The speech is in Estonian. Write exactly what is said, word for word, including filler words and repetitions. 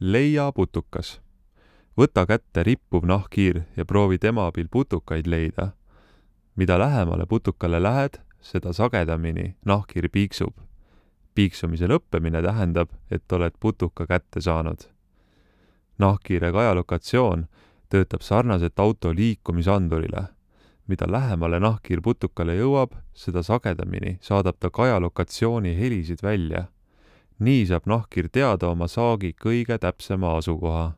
Leia putukas. Võta kätte rippuv nahkhiir ja proovi tema abil putukaid leida. Mida lähemale putukale lähed, seda sagedamini nahkhiir piiksub. Piiksumise lõppemine tähendab, et oled putuka kätte saanud. Nahkhiire kajalokatsioon töötab sarnaselt auto liikumisandurile. Mida lähemale nahkhiir putukale jõuab, seda sagedamini saadab ta kajalokatsiooni helisid välja. Nii saab nahkhiir teada oma saagi kõige täpsema asukoha.